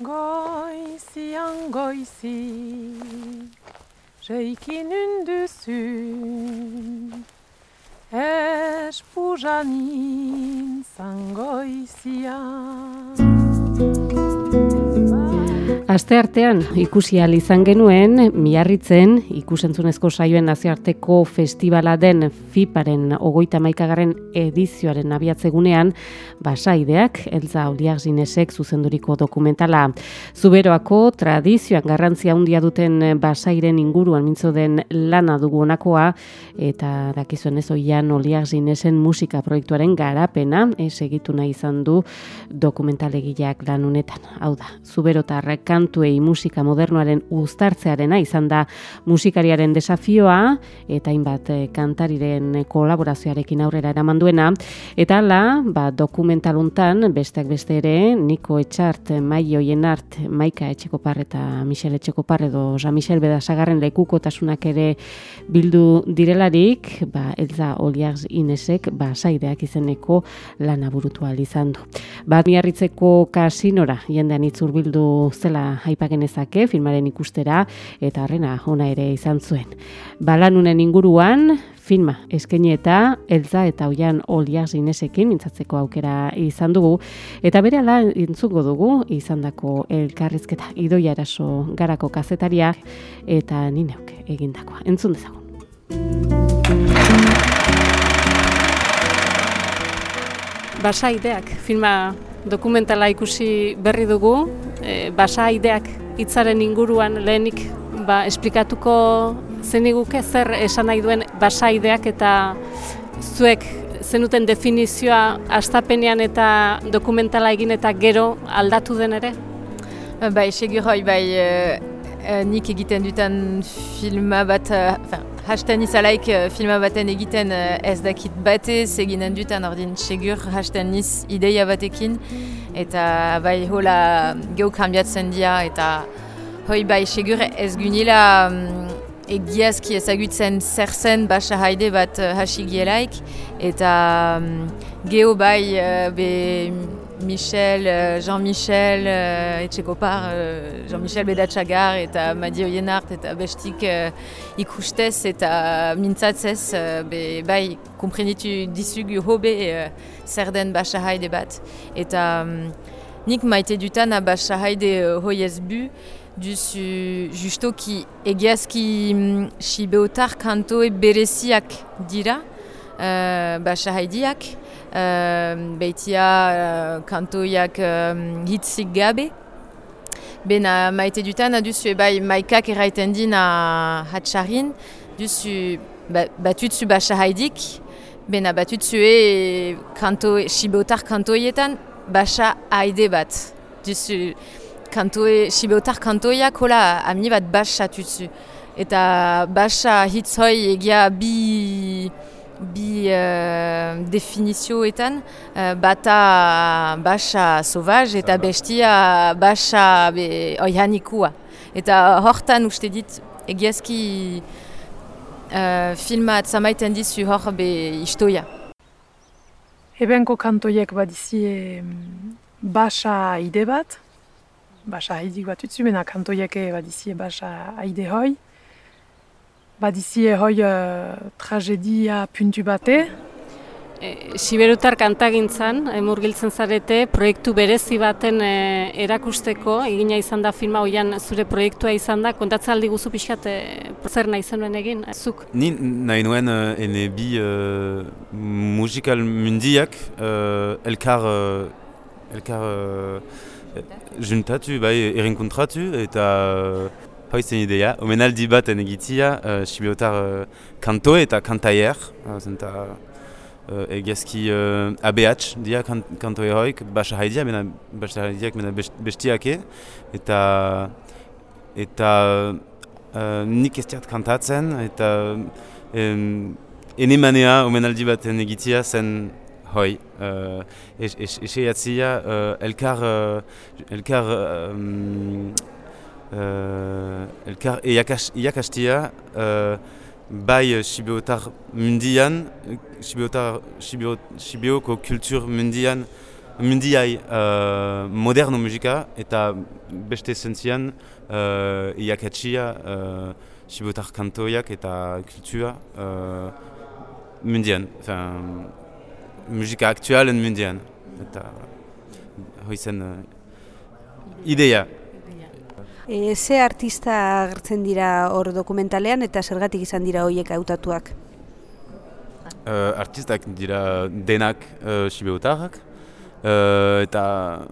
Goizian goizik, reikin unduzun, espujanin zangoizian. Asteartean ikusi ahal izan genuen Miarritzen ikusentzunezko saioen nazioarteko festivala den FIParen 31. edizioaren abiatzegunean Basaideak Elza Oliarginesek zuzenduriko dokumentala. Zuberoako tradizioan garrantzia handia duten basairen inguruan mintzo den lana dugu honakoa eta dakizuen ez Oian Oliarginesen musika proiektuaren garapena segitu nahi izan du dokumentalegileak lan honetan. Hau da, Zuberotarrek kantuei musika modernoaren uztartzearena izan da musikariaren desafioa eta hainbat kantariren kolaborazioarekin aurrera eraman duena eta hala, dokumental hontan besteak beste ere Niko Etxart, Mai Oienart, Maika Etxekopar eta Michel Etxekopar edo Jean-Michel Bedasagarren lekukotasunak ere bildu direlarik, Elza Oliarginesek Basaideak izeneko lana burutu ahal izan du. Miarritzeko kasinora jendean itzurbildu zela aipagenezake filmaren ikustera eta harrena ona ere izan zuen. Balanunen inguruan filma eskaini eta Elza eta Oian Oliarginesekin mintzatzeko aukera izan dugu eta berehala entzungo dugu izandako elkarrizketa Idoia Eraso Garako kazetaria eta ni neuk egindakoa. Entzun dezagun. Basaideak filma dokumentala ikusi berri dugu, Basaideak hitzaren inguruan lehenik esplikatuko zeniguke zer esan nahi duen Basaideak eta zuek zenuten definizioa hastapenean eta dokumentala egin eta gero aldatu den ere? Segur hoi, nik egiten dutan filma bat, hasten izalaik filma baten egiten ez dakit batez eginen dutan ordin segur hasten niz ideia batekin eta hola geu kambiatzen dira eta hoi segur ez gunila egiazki ezagutzen zer zen Basaide bat hasi gielaik eta geo Jean-Michel Etxekopar, Jean-Michel Bedatsagar eta Madi Oienart eta bestik ikustez eta mintzatzez komprenitu dizugu hobe zer den Basaide bat. Eta nik maite dutan a Basaide hoiez bu duzu justoki egiazki sibeotar kantoe bereziak dira Basaideak. Beitia kantoiak hitzik gabe. Bena maite dutan aduzu maikak erraiten din hatxarin duzu batutzu Basaidik, bena batutzu sibeotar kantoietan Basaide bat. Duzu sibeotar kantoiak hola amni bat basatutzu. Eta basa hitzoi egia bi definizioetan bata basa sauvage eta bestia basa oihanikua. Eta hortan uste dit egiazki filma atzamaiten dizu hor istoia. Ebenko kantoiek badizie Basaide bat, Basaidik bat utzu, bena kantoiek badizie Basaide hoi. Badizie hoi tragedia puntu bate. Siberutar kantagintzan, murgiltzen zarete, proiektu berezi baten erakusteko, egina izan da filma hoian zure proiektua izan da, kontatzen aldi guzu pixkat zer nahi zenuen egin, zuk? Ni nahi nuen ene bi musikal mundiak elkar juntatu, erinkontratu eta hoi zen idea, omenaldi bat egitia sibeotar kantoe eta kantaier, egiazki ABH dia kantoe hoik, Basaideak mena bestiake, eta nik ez diat kantatzen, eta enemanea omenaldi bat egitia zen hoi, eseiatzia elkar iakastia bai sibeotar mundian, sibeoko kultur mundian mundiai moderno musika eta beste zentzian iakatsia sibotar kantoiak eta kultura mundian, musika aktualen mundian. Eta hoizen ideia. Ze artista agertzen dira hor dokumentalean eta zergatik izan dira horiek hautatuak? Artistak dira denak sibeotarrak, eta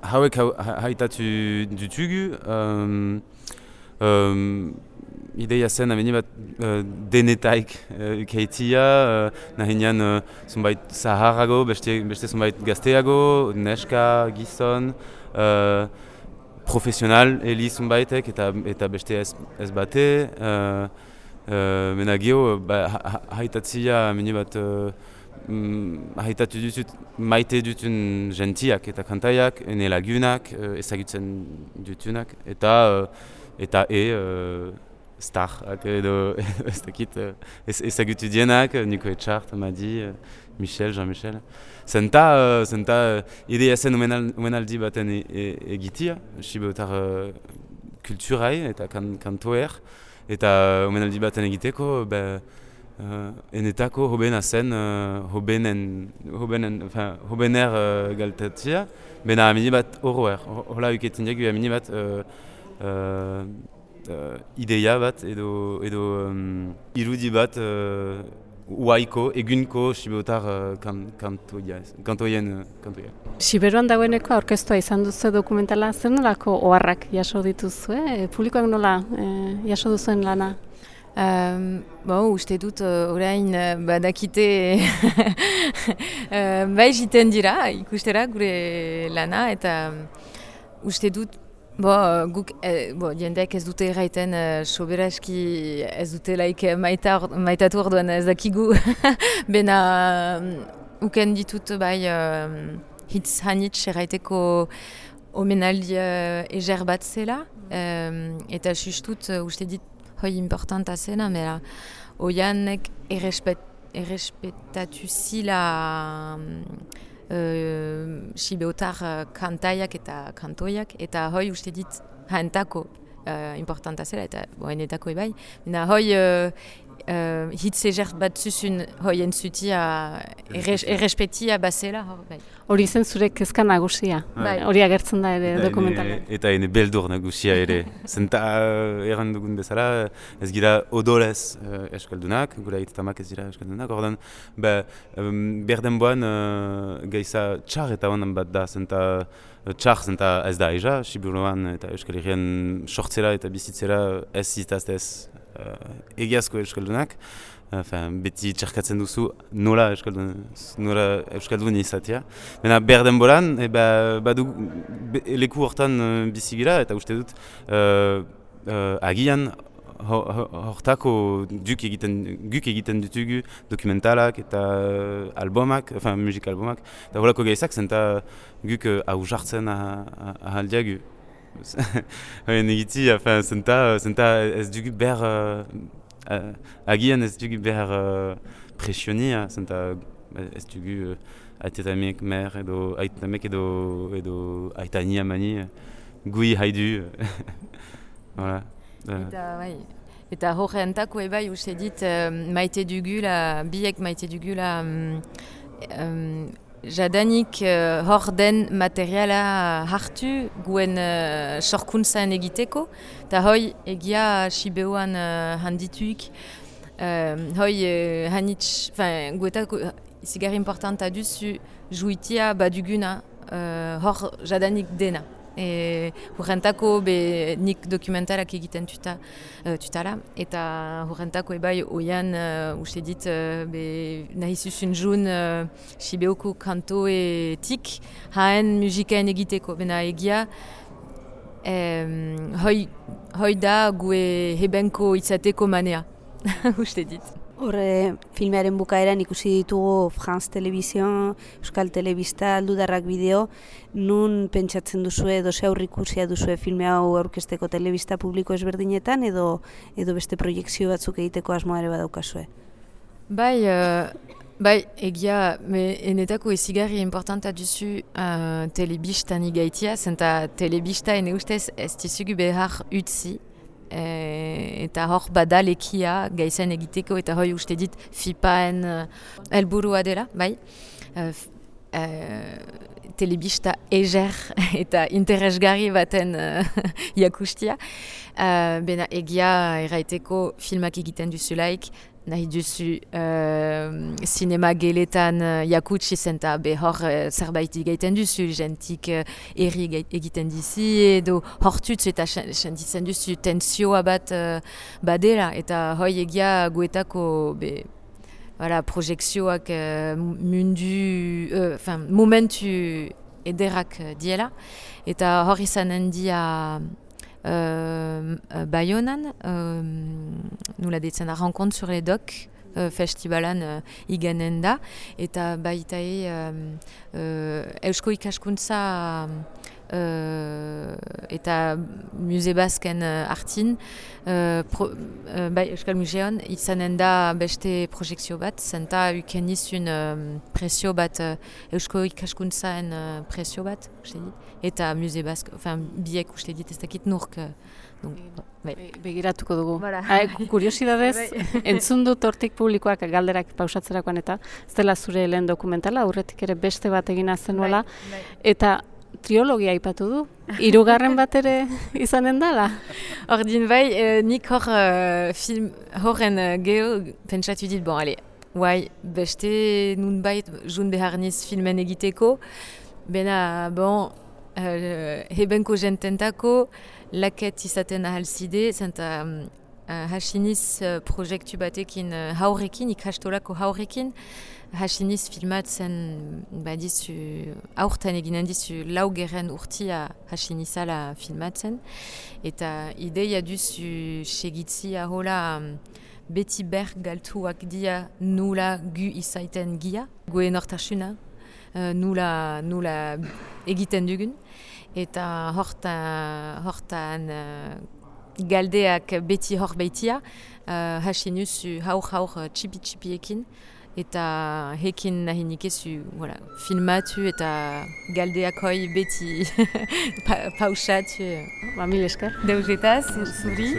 hauek haitatu ditugu. Ideia zen ameni bat denetaik ukeitia, nahinean zunbait zaharrago, beste zunbait gazteago, neska, gizon, profesional heli zunbaitek eta beste ez bate. Mena geho, haitatzia ameni bat haitatu dutut maite dutun gentiak eta kantaiak, ene lagunak, ezagutzen dutunak, eta starak edo ez dakit ezagutu dienak, Niko Etxart, Madi, Michel, Jean-Michel. Zenta idea zen omenaldi baten egitia, sibeotar kulturai eta kantoer, eta omenaldi baten egiteko, enetako hobena zen hobener galtatzia, bena amini bat horroer. Hola uketin diagu amini bat ideia bat edo irudi bat uaiko, egunko sibeotar kantoien. Siberuan dagoeneko aurkeztua izan duzu dokumentala, zer nolako oharrak jaso dituzue? Publikoak nola jaso duzuen lana? Uste dut orain badakite bai jiten dira ikustera gure lana, eta uste dut guk jendeak ez dute erraiten soberaski ez dute maitatu orduan ez dakigu bena uken ditut bai hitz hanitz erraiteko omenaldi eger bat zela, eta justut uste dit hoi importanta zena, mera oianek errespetatu zila sibeotar kantaiak eta kantoiak, eta hoi uste dit haentako importanta zela, eta enetako ebai. Mena hoi hitz eger bat zuzun hoi entzutia errespetia bazela. Hori zen zure kezka nagusia, hori agertzen da ere dokumentalean. Eta ene beldur nagusia ere. Zenta erran dugun bezala, ez gira odolez eskaldunak, gura hitetamak ez dira eskaldunak, ordan berdenboan gaiza txar eta honan bat da, zenta ez da eza, Sibiruan eta Euskal Herrian sortzera eta bizitzera ez zitaztez egiazko euskaldunak, beti txerkatzen duzu nola euskaldun izatea. Baina berdenboran, badu leku hortan bizigira, eta uste dut agian hortako guk egiten ditugu dokumentalak eta albumak, musikalbumak, eta horako gaizak zenta guk hau jartzen ahaldiagu. Negiti, zenta ez dugu behar agian ez dugu behar presionia, zenta ez dugu aitetamek mer edo aitetamek edo aitania mani gui haidu. Eta horreentako ebai uste dit maite dugula, biek maite dugula jadanik hor den materiala hartu guen sorkuntzan egiteko, eta hoi egia Sibeoan handituik, hoi hanitz, guetako izigarri importanta duzu juitia baduguna hor jadanik dena. Horrentako nik dokumentalak egiten tutala, eta horrentako ebai oian uste dit nahi zuzun jun Sibeoko kantoetik haen musikaen egiteko. Bena egia hoi da gue hebenko izateko manea, uste dit. Horre, filmearen bukaeran ikusi ditugu France Television, Euskal Telebista, Aldudarrak bideo, nun pentsatzen duzue edo ze aurrikusia duzue filme hau aurkezteko telebista publiko ezberdinetan edo beste proiekzio batzuk egiteko asmoa ere badaukazue? Bai, Bai, egia, enetako ezigarri importanta duzu telebistan igaitia, zenta telebista ene ustez ez dizugu behar utzi, eta hor badalekia gaizen egiteko, eta hoi uste dit FIPAen helburua dela, bai. Telebista eger eta interesgarri baten jakustia. Bena egia erraiteko filmak egiten duzulaik, nahi duzu sinema geletan jakutsi zenta behor zerbait egiten duzu, jentik erri egiten dizi edo hortutz eta sentitzen duzu tensioa bat badela, eta hoi egia guetako projekzioak momentu ederrak diela, eta hor izanen dia Baionan, nula deitzen da Rencontre sur les Docks festivalan iganen da, eta baitae Eusko Ikaskuntza eta Muse Basken artin, Euskal Museon izanen da beste projekzio bat, zenta uken izun presio bat, Eusko Ikaskuntzaen presio bat, eta Muse Bask, biek uste dit ez dakit nurk. Begiratuko dugu. Kuriosidadez, entzun dut hortik publikoak galderak pausatzerakoan, eta ez dela zure lehen dokumentala, aurretik ere beste bat egina zenuela, eta triologia aipatu du. 3. bat ere izanen dala? Ordin bai, nik film horren geho pentsatu dit, beste nunbait jun behar niz filmen egiteko, bena, hebenko jententako laket izaten ahalzide, zenta hasiniz proiektu batekin haurekin, ikastolako haurekin, hasiniz filmatzen aurten eginen dizu 4. urtia hasinizala filmatzen, eta ideia duzu segitzi ahola beti ber galtuak dia nula gu izaiten gia, goe nortasuna, nula egiten dugun, eta hortan galdeak beti hor baitia, hasinuz haur txipi-txipiekin, eta hekin nahi nikezu filmatu eta galdeak hoi beti pausatu. Mil esker. Deugetaz, zuri.